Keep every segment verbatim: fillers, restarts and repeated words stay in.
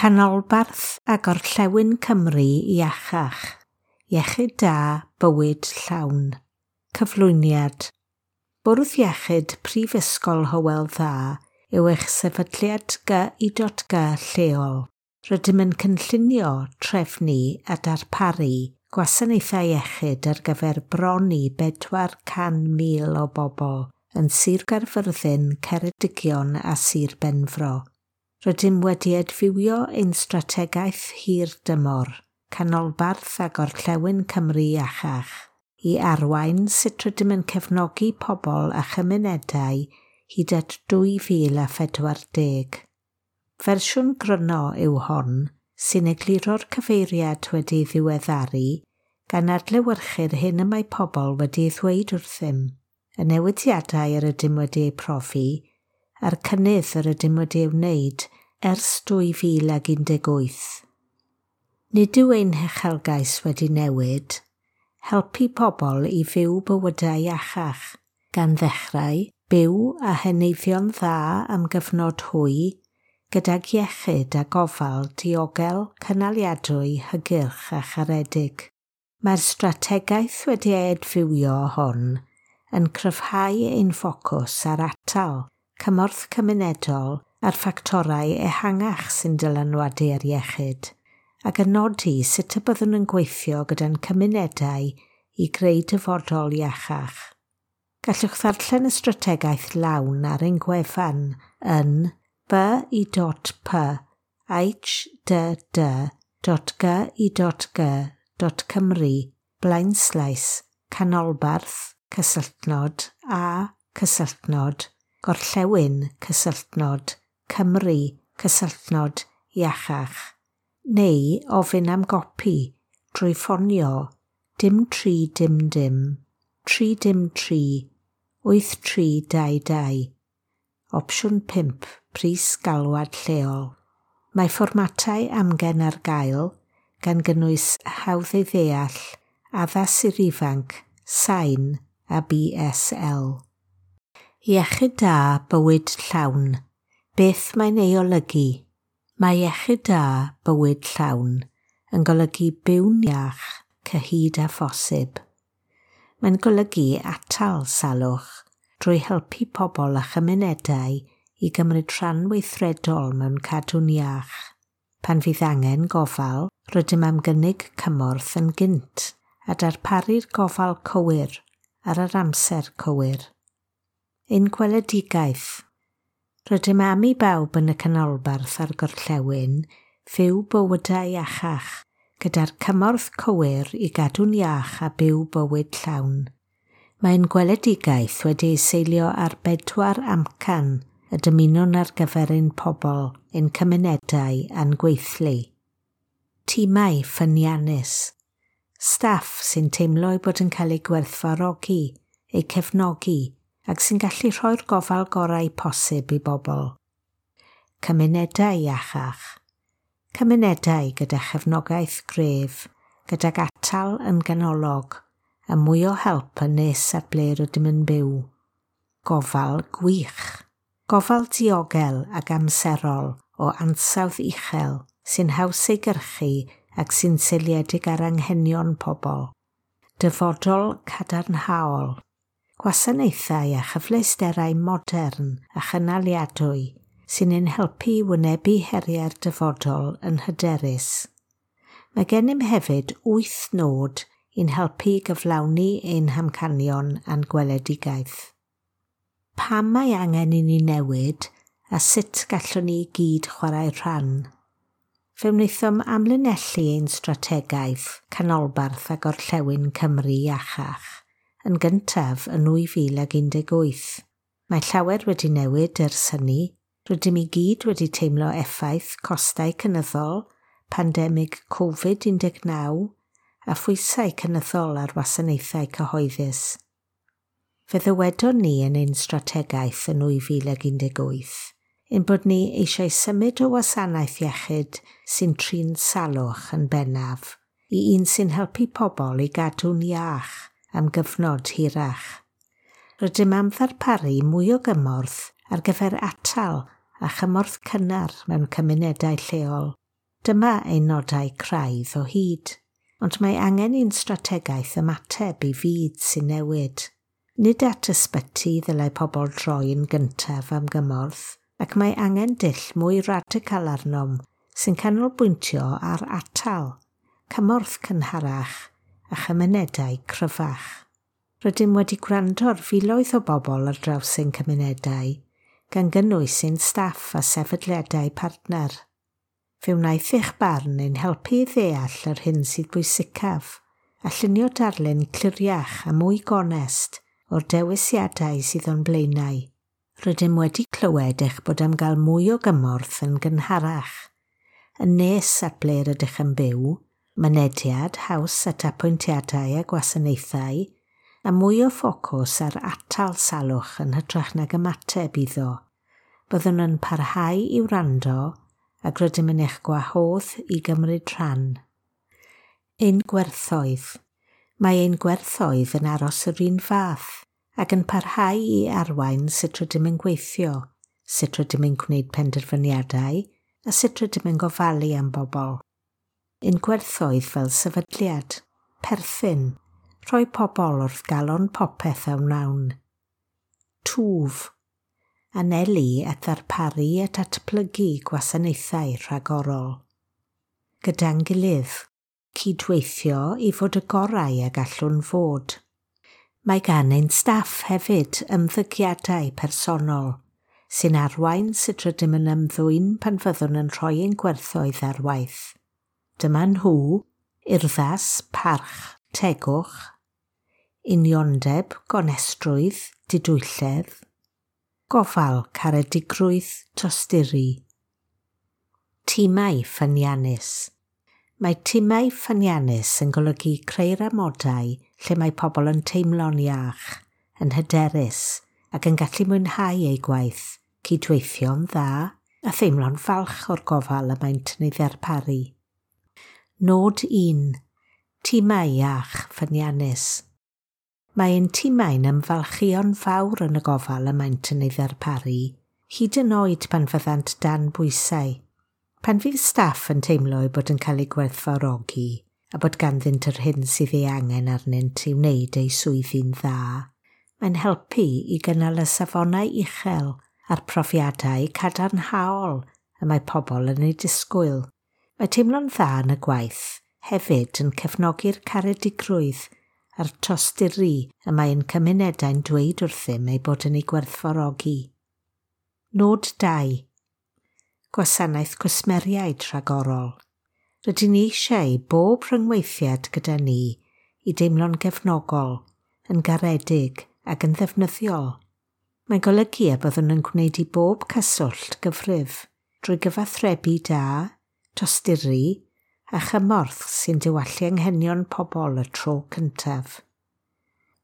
Canolbarth a Gorllewin Cymru iachach. Iechyd da, bywyd llawn. Cyflwyniad. Bwrdd Iechyd Prifysgol Hywel Dda yw eich sefydliad G I G lleol. Rydym yn cynllunio, trefnu a darparu gwasanaethau iechyd ar gyfer bron i bedwar can mil o bobl yn Sir Gaerfyrddin, Ceredigion a Sir Benfro. Rydym wedi adfywio ein strategaeth hir dymor, Canolbarth a Gorllewin Cymru iachach, i arwain sut rydym yn cefnogi pobl a chymunedau hyd at dwy fil a phedwar deg. Fersiwn gryno yw hon sy'n egluro'r cyfeiriad wedi ddiweddaru gan adlewyrchu'r hyn y mae pobl wedi ei ddweud wrthym, y newidiadau yr ydym wedi eu profi a'r cynnydd yr ydym wedi ei wneud ers dwy fil un deg wyth. Nid yw ein huchelgais wedi newid, helpu pobl i fyw bywydau iachach, gan ddechrau byw a heneiddio'n dda am gyfnod hwy, gydag iechyd a gofal diogel, cynaliadwy, hygyrch a charedig. Mae'r strategaeth wedi ei adfywio hon yn cryfhau ein ffocws ar atal, cymorth cymunedol a'r ffactorau ehangach sy'n dylanwadu ar iechyd, ac yn nodi sut y byddwn yn gweithio gyda'n cymunedau i greu dyfodol iachach. Gallwch ddarllen y strategaeth lawn ar ein gwefan yn b i p h d d dot g i g dot cymru blaenslaes canolbarth cysylltnod a cysylltnod gorllewin cysylltnod Cymru cysylltnod iachach neu ofyn am gopi drwy ffonio dim tri dim dim tri dim tri wyth tri dau dau. Opsiwn pump, pris galwad lleol. Mae fformatau amgen ar gael gan gynnwys hawdd ei ddeall, addas i'r ifanc, sain a B S L. Iechyd da, bywyd llawn. Beth mae'n ei olygu? Mae iechyd da, bywyd llawn yn golygu byw'n iach cyhyd â phosib. Mae'n golygu atal salwch drwy helpu pobl a chymunedau i gymryd rhan weithredol mewn cadw'n iach. Pan fydd angen gofal, rydym am gynnig cymorth yn gynt a darparu'r gofal cywir ar yr amser cywir. Ein gweledigaeth. Rydym am i bawb yn y canolbarth a'r gorllewin fyw bywydau iachach, gyda'r cymorth cywir i gadw'n iach a byw bywyd llawn. Mae'n gweledigaeth wedi ei seilio ar bedwar amcan y dymunwn ar gyfer ein pobl, ein cymunedau a'n gweithlu. Tîmau ffyniannus. Staff sy'n teimlo eu bod yn cael eu gwerthfawrogi, eu cefnogi ac sy'n gallu rhoi'r gofal gorau posib i bobl. Cymunedau iachach. Cymunedau gyda chefnogaeth gref, gydag atal yn ganolog, a mwy o help yn nes at ble rydym yn byw. Gofal gwych. Gofal diogel ac amserol o ansawdd uchel sy'n haws ei gyrchu ac sy'n seiliedig ar anghenion pobl. Dyfodol cadarnhaol. Gwasanaethau a chyfleusterau modern a chynaliadwy sy'n ein helpu i wynebu heriau'r dyfodol yn hyderus. Mae gennym hefyd wyth nod i'n helpu i gyflawni ein hamcanion a'n gweledigaeth. Pam mae angen i ni newid a sut gallwn ni gyd chwarae rhan? Fe wnaethom amlinellu ein strategaeth Canolbarth a Gorllewin Cymru iachach yn gyntaf yn dwy fil un deg wyth. Mae llawer wedi newid ers hynny. Rydym i gyd wedi teimlo effaith costau cynyddol, pandemig Covid un deg naw a phwysau cynyddol ar wasanaethau cyhoeddus. Fe ddywedon ni yn ein strategaeth yn dwy fil un deg wyth ein bod ni eisiau symud o wasanaeth iechyd sy'n trin salwch yn bennaf i un sy'n helpu pobl i gadw'n iach am gyfnod hirach. Rydym am ddarparu mwy o gymorth ar gyfer atal a chymorth cynnar mewn cymunedau lleol. Dyma ein nodau craidd o hyd, ond mae angen i'n strategaeth ymateb i fyd sy'n newid. Nid at ysbyty ddylai pobl droi yn gyntaf am gymorth, ac mae angen dull mwy radical arnom sy'n canolbwyntio ar atal, cymorth cynharach a chymunedau cryfach. Rydym wedi gwrando ar filoedd o bobl ar draws ein cymunedau, gan gynnwys ein staff a sefydliadau partner. Fe wnaeth eich barn ein helpu i ddeall yr hyn sydd bwysicaf a llunio darlun cliriach a mwy gonest o'r dewisiadau sydd o'n blaenau. Rydym wedi clywed eich bod am gael mwy o gymorth yn gynharach, yn nes at ble rydych yn byw, mynediad haws at apwyntiadau a gwasanaethau, a mwy o ffocws ar atal salwch yn hytrach nag ymateb iddo. Byddwn yn parhau i wrando ac rydym yn eich gwahodd i gymryd rhan. Ein gwerthoedd. Mae ein gwerthoedd yn aros yr un fath ac yn parhau i arwain sut rydym yn gweithio, sut rydym yn gwneud penderfyniadau a sut rydym yn gofalu am bobl. Ein gwerthoedd fel sefydliad, perthyn, rhoi pobl wrth galon popeth a wnawn. Twf, anelu at ddarparu a datblygu gwasanaethau rhagorol. Gyda'n gilydd, cydweithio i fod y gorau a gallwn fod. Mae gan ein staff hefyd ymddygiadau personol sy'n arwain sut rydym yn ymddwyn pan fyddwn yn rhoi ein gwerthoedd ar waith. Dyma nhw, urddas, parch, tegwch, uniondeb, gonestrwydd, didwylledd, gofal, caredigrwydd, tosturi. Timau ffyniannus. Mae timau ffyniannus yn golygu creu'r amodau lle mae pobl yn teimlo'n iach, yn hyderus ac yn gallu mwynhau eu gwaith, cydweithio'n dda a theimlo'n falch o'r gofal y maent yn ei ddarparu. Nod un. Timau iach ffyniannus. Mae ein timau'n ymfalchïo'n fawr yn y gofal y maent yn ei ddarparu, hyd yn oed pan fyddant dan bwysau. Pan fydd staff yn teimlo eu bod yn cael eu gwerthfawrogi a bod ganddynt yr hyn sydd ei angen arnynt i wneud eu swyddi'n dda, mae'n helpu i gynnal y safonau uchel a'r profiadau cadarnhaol y mae pobl yn eu disgwyl. Mae teimlo'n dda yn y gwaith hefyd yn cefnogi'r caredigrwydd a'r tosturi y mae ein cymunedau'n dweud wrthym eu bod yn ei gwerthfawrogi. Nod dau. Gwasanaeth cwsmeriaid rhagorol. Rydyn ni eisiau bob rhyngweithiad gyda ni i deimlo'n gefnogol, yn garedig ac yn ddefnyddiol. Mae'n golygu y byddwn yn gwneud i bob cyswllt gyfrif drwy gyfathrebu da, tosturi a chymorth sy'n diwallu anghenion pobl y tro cyntaf.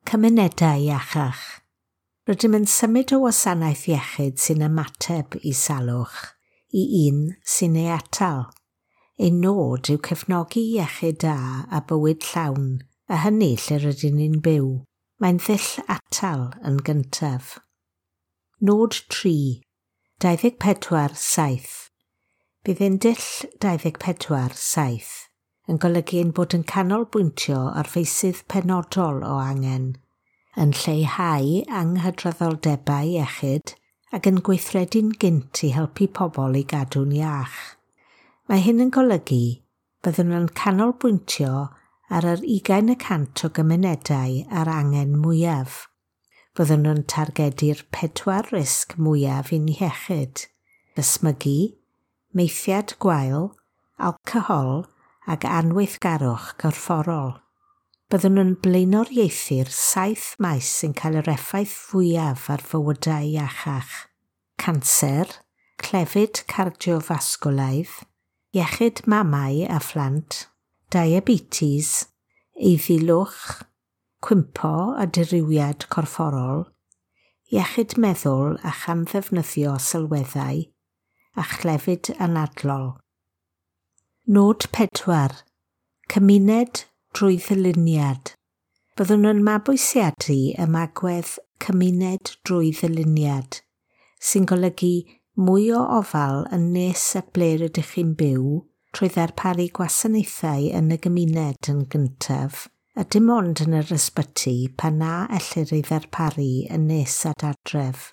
Cymunedau iachach. Rydym yn symud o wasanaeth iechyd sy'n ymateb i salwch i un sy'n ei atal. Ein nod yw cefnogi iechyd da a bywyd llawn, a hynny lle rydyn ni'n byw. Mae'n ddull atal yn gyntaf. Nod tri. dau ddeg pedwar saith. Bydd ein dull dau ddeg pedwar saith yn golygu ein bod yn canolbwyntio ar feysydd penodol o angen, yn lleihau anghydraddoldebau iechyd ac yn gweithredu'n gynt i helpu pobl i gadw'n iach. Mae hyn yn golygu byddwn yn canolbwyntio ar yr ugain y cant o gymunedau a'r angen mwyaf. Byddwn yn targedu'r pedwar risg mwyaf i'n iechyd: ysmygu, maethiad gwael, alcohol ac anweithgarwch corfforol. Byddwn yn blaenoriaethu'r saith maes sy'n cael yr effaith fwyaf ar fywydau iachach: canser, clefyd cardiofasgwlaidd, iechyd mamau a phlant, diabetes, eiddilwch, cwympo a dirywiad corfforol, iechyd meddwl a chamddefnyddio sylweddau, a chlefyd anadlol. Nod pedwar. Cymuned drwy ddyluniad. Byddwn yn mabwysiadu ymagwedd cymuned drwy ddyluniad, sy'n golygu mwy o ofal yn nes at ble rydych chi'n byw trwy ddarparu gwasanaethau yn y gymuned yn gyntaf, a dim ond yn yr ysbyty pan na ellir ei ddarparu yn nes at adref.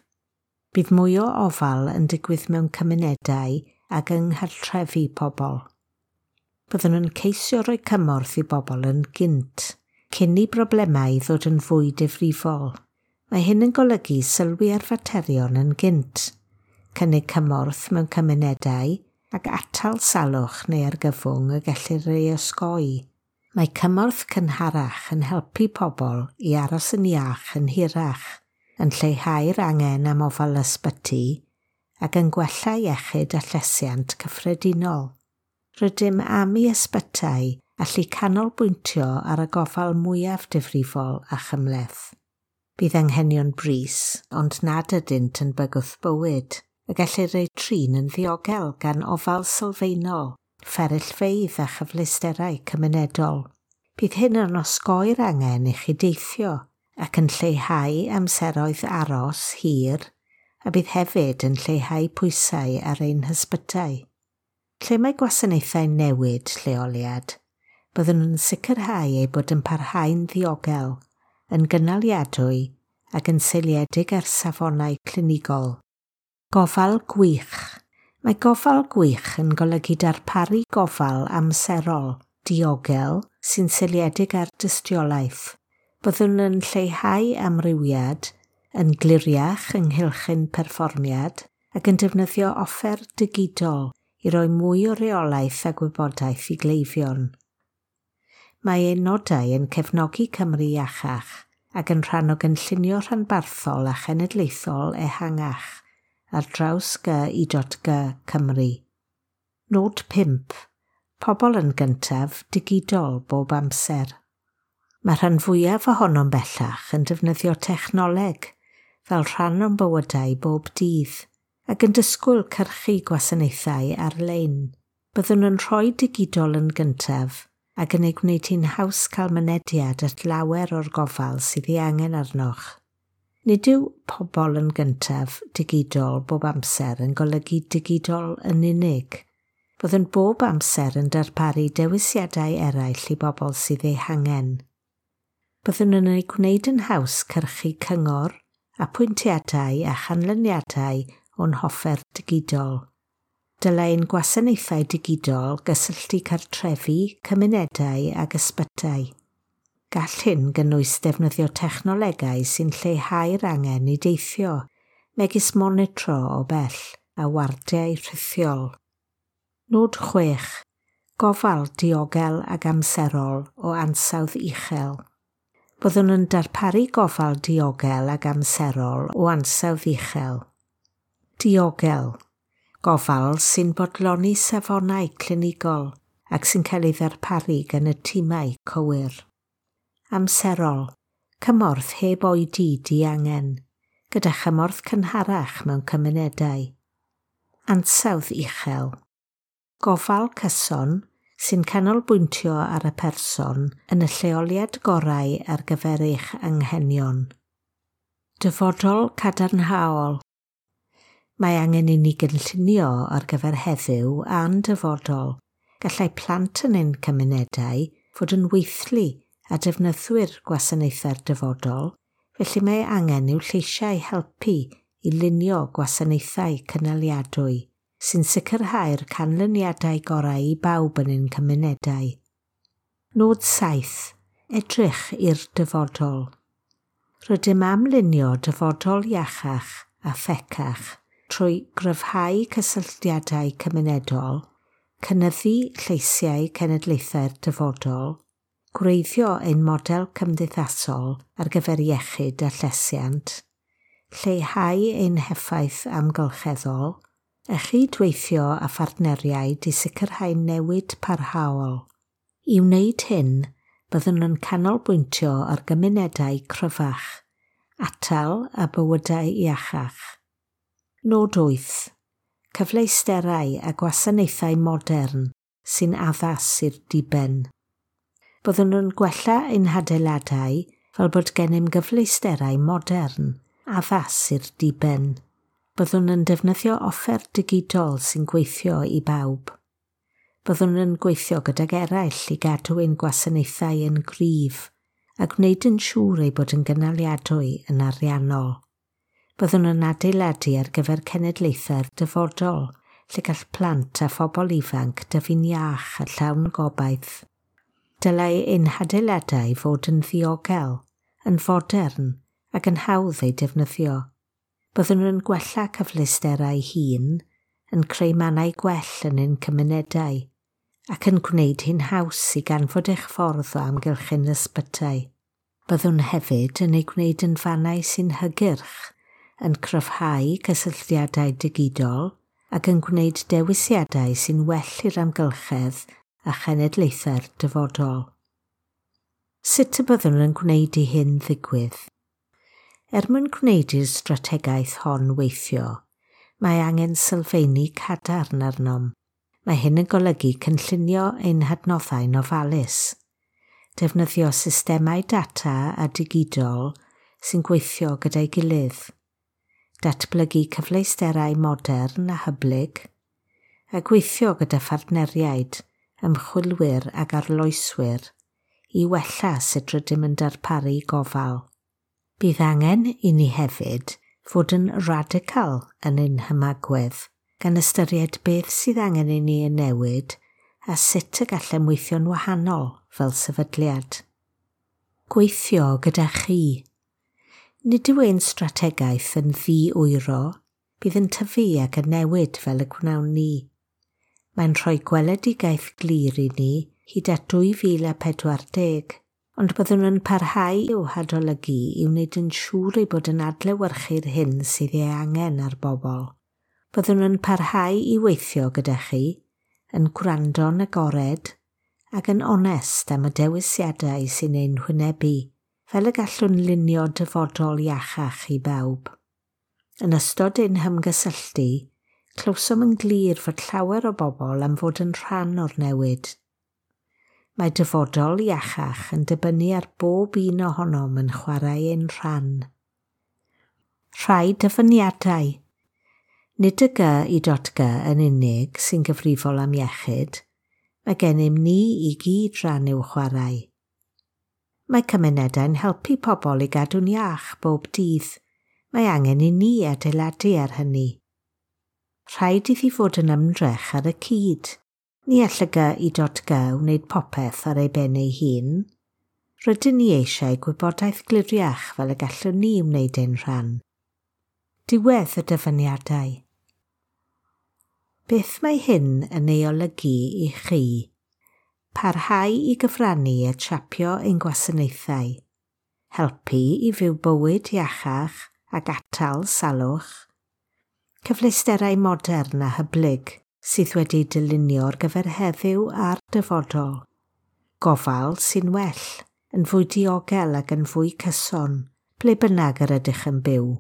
Bydd mwy o ofal yn digwydd mewn cymunedau ac yng nghartrefi pobl. Byddwn yn ceisio rhoi cymorth i bobl yn gynt, cyn i broblemau ddod yn fwy difrifol. Mae hyn yn golygu sylwi ar faterion yn gynt, cynnig cymorth mewn cymunedau ac atal salwch neu argyfwng y gellir ei osgoi. Mae cymorth cynharach yn helpu pobl i aros yn iach yn hirach, yn lleihau'r angen am ofal ysbyty ac yn gwella iechyd a llesiant cyffredinol. Rydym am i ysbytai allu canolbwyntio ar y gofal mwyaf difrifol a chymhleth. Bydd anghenion brys, ond nad ydynt yn bygwth bywyd, y gellir eu trin yn ddiogel gan ofal sylfaenol, fferyllfeydd a chyfleusterau cymunedol. Bydd hyn yn osgoi'r angen i chi deithio ac yn lleihau amseroedd aros hir, a bydd hefyd yn lleihau pwysau ar ein hysbytai. Lle mae gwasanaethau newid lleoliad, byddwn yn sicrhau eu bod yn parhau'n ddiogel, yn gynaliadwy ac yn seiliedig ar safonau clinigol. Gofal gwych. Mae gofal gwych yn golygu darparu gofal amserol, diogel, sy'n seiliedig ar dystiolaeth. Byddwn yn lleihau amrywiad, yn gliriach ynghylch ein perfformiad ac yn defnyddio offer digidol i roi mwy o reolaeth a gwybodaeth i gleifion. Mae ein nodau yn cefnogi Cymru iachach ac yn rhan o gynllunio rhanbarthol a chenedlaethol ehangach ar draws G I G Cymru. Nod pump. Pobl yn gyntaf, digidol bob amser. Mae rhan fwyaf ohonom bellach yn defnyddio technoleg fel rhan o'n bywydau bob dydd ac yn disgwyl cyrchu gwasanaethau ar-lein. Byddwn yn rhoi digidol yn gyntaf ac yn ei gwneud hi'n haws cael mynediad at lawer o'r gofal sydd ei angen arnoch. Nid yw pobl yn gyntaf digidol bob amser yn golygu digidol yn unig. Byddwn bob amser yn darparu dewisiadau eraill i bobl sydd eu hangen. Byddwn yn ei gwneud yn haws cyrchu cyngor, apwyntiadau a chanlyniadau o'n hoffer digidol. Dylai ein gwasanaethau digidol gysylltu cartrefi, cymunedau ac ysbytai. Gall hyn gynnwys defnyddio technolegau sy'n lleihau'r angen i deithio, megis monitro o bell a wardiau rhithiol. Nod chwech. Gofal diogel ac amserol o ansawdd uchel. Byddwn yn darparu gofal diogel ac amserol o ansawdd uchel. Diogel. Gofal sy'n bodloni safonau clinigol ac sy'n cael ei ddarparu gan y timau cywir. Amserol. Cymorth heb oedi diangen, gyda chymorth cynharach mewn cymunedau. Ansawdd uchel. Gofal cyson sy'n canolbwyntio ar y person yn y lleoliad gorau ar gyfer eich anghenion. Dyfodol cadarnhaol. Mae angen i ni gynllunio ar gyfer heddiw a'n dyfodol. Gallai plant yn ein cymunedau fod yn weithlu a defnyddwyr gwasanaethau'r dyfodol, felly mae angen i'w lleisiau helpu i lunio gwasanaethau cynaliadwy sy'n sicrhau'r canlyniadau gorau i bawb yn ein cymunedau. Nod saith. Edrych i'r dyfodol. Rydym am lunio dyfodol iachach a thecach trwy gryfhau cysylltiadau cymunedol, cynyddu lleisiau cenedlaethau'r dyfodol, gwreiddio ein model cymdeithasol ar gyfer iechyd a llesiant, lleihau ein heffaith amgylcheddol, a chydweithio â phartneriaid i sicrhau newid parhaol. I wneud hyn, byddwn yn canolbwyntio ar gymunedau cryfach, atal a bywydau iachach. Nod wyth. Cyfleusterau a gwasanaethau modern sy'n addas i'r diben. Byddwn yn gwella ein hadeiladau fel bod gennym gyfleusterau modern, addas i'r diben. Byddwn yn defnyddio offer digidol sy'n gweithio i bawb. Byddwn yn gweithio gydag eraill i gadw ein gwasanaethau yn gryf a gwneud yn siŵr ei bod yn gynaliadwy yn ariannol. Byddwn yn adeiladu ar gyfer cenedlaethau'r dyfodol, lle gall plant a phobl ifanc dyfu'n iach a llawn gobaith. Dylai ein hadeiladau fod yn ddiogel, yn fodern ac yn hawdd eu defnyddio. Byddwn yn gwella cyfleusterau hŷn, yn creu mannau gwell yn ein cymunedau, ac yn gwneud hi'n haws i ganfod eich ffordd o amgylch ein ysbytai. Byddwn hefyd yn ei gwneud yn fannau sy'n hygyrch, yn cryfhau cysylltiadau digidol ac yn gwneud dewisiadau sy'n well i'r amgylchedd a chenedlaethau'r dyfodol. Sut y byddwn yn gwneud i hyn ddigwydd? Er mwyn gwneud i'r strategaeth hon weithio, mae angen sylfeini cadarn arnom. Mae hyn yn golygu cynllunio ein hadnoddau'n ofalus, defnyddio systemau data a digidol sy'n gweithio gyda'i gilydd, datblygu cyfleusterau modern a hyblyg, a gweithio gyda phartneriaid, ymchwilwyr ac arloeswyr i wella sut rydym yn darparu gofal. Bydd angen i ni hefyd fod yn radical yn ein hymagwedd, gan ystyried beth sydd angen i ni yn newid a sut y gallem weithio'n wahanol fel sefydliad. Gweithio gyda chi. Nid yw ein strategaeth yn ddi-wyro, bydd yn tyfu ac yn newid fel y gwnawn ni. Mae'n rhoi gweledigaeth glir i ni hyd at dwy fil a pedwar deg, ond byddwn yn parhau i'w hadolygu i wneud yn siŵr ei bod yn adlewyrchu'r hyn sydd ei angen ar bobl. Byddwn yn parhau i weithio gyda chi, yn gwrando'n agored ac yn onest am y dewisiadau sy'n ein hwynebu, fel y gallwn lunio dyfodol iachach i bawb. Yn ystod ein hymgysylltu, clywsom yn glir fod llawer o bobl am fod yn rhan o'r newid. Mae dyfodol iachach yn dibynnu ar bob un ohonom yn chwarae ein rhan. Rhai dyfyniadau. Nid y G i dot G yn unig sy'n gyfrifol am iechyd, mae gennym ni i gyd ran i'w chwarae. Mae cymunedau'n helpu pobl i gadw'n iach bob dydd. Mae angen i ni adeiladu ar hynny. Rhaid iddi fod yn ymdrech ar y cyd. Ni all y G i dot G wneud popeth ar ei ben ei hun. Rydyn ni eisiau gwybodaeth gliriach fel y gallwn ni wneud ein rhan. Diwedd y dyfyniadau. Beth mae hyn yn ei olygu i chi? Parhau i gyfrannu at siapio ein gwasanaethau. Helpu i fyw bywyd iachach ac atal salwch. Cyfleusterau modern a hyblyg sydd wedi dylunio ar gyfer heddiw a'r dyfodol. Gofal sy'n well, yn fwy diogel ac yn fwy cyson, ble bynnag yr ydych yn byw.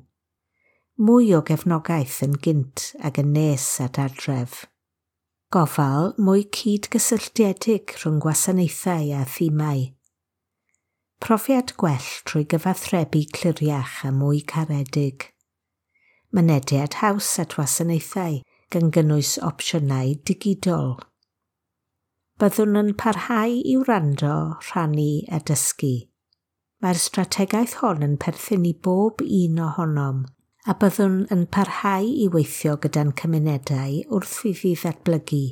Mwy o gefnogaeth yn gynt ac yn nes at adref. Gofal mwy cydgysylltiedig rhwng gwasanaethau a thimau. Profiad gwell trwy gyfathrebu cliriach a mwy caredig. Mynediad haws at wasanaethau gan gynnwys opsiynau digidol. Byddwn yn parhau i wrando, rhannu a dysgu. Mae'r strategaeth hon yn perthyn i bob un ohonom, a byddwn yn parhau i weithio gyda'n cymunedau wrth iddi ddatblygu.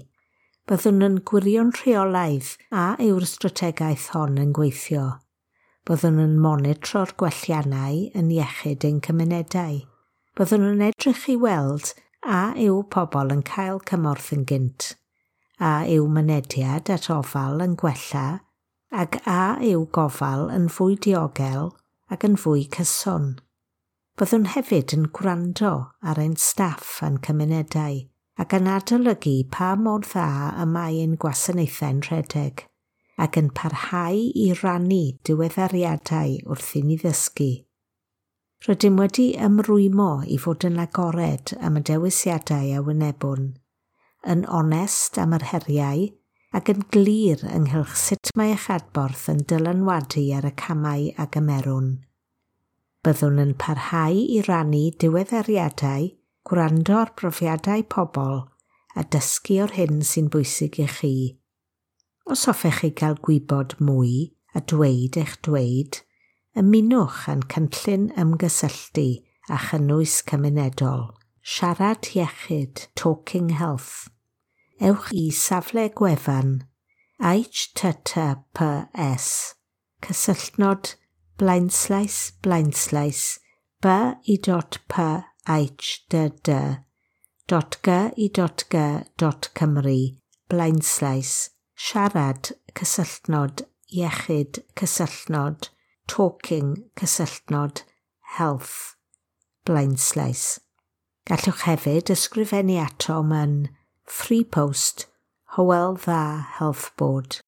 Byddwn yn gwirio'n rheolaidd a yw'r strategaeth hon yn gweithio. Byddwn yn monitro'r gwelliannau yn iechyd ein cymunedau. Byddwn yn edrych i weld a yw pobl yn cael cymorth yn gynt, a yw mynediad at ofal yn gwella, ac a yw gofal yn fwy diogel ac yn fwy cyson. Byddwn hefyd yn gwrando ar ein staff a'n cymunedau ac yn adolygu pa mor dda y mae ein gwasanaethau'n rhedeg, ac yn parhau i rannu diweddariadau wrth i ni ddysgu. Rydym wedi ymrwymo i fod yn agored am y dewisiadau a wynebwn, yn onest am yr heriau ac yn glir ynghylch sut mae eich adborth yn dylanwadu ar y camau a gymerwn. Byddwn yn parhau i rannu diweddariadau, gwrando ar brofiadau pobl a dysgu o'r hyn sy'n bwysig i chi. Os hoffech chi gael gwybod mwy a dweud eich dweud, ymunwch â'n cynllun ymgysylltu a chynnwys cymunedol. Siarad Iechyd, Talking Health. Ewch i safle gwefan H T T P S cysylltnod blaenslaes blaenslaes b i dot p h d d dot g i dot g dot Cymru blaenslaes siarad cysylltnod iechyd cysylltnod talking cysylltnod health blaenslaes. Gallwch hefyd ysgrifennu atom yn Free Post, Hywel Dda Health Board.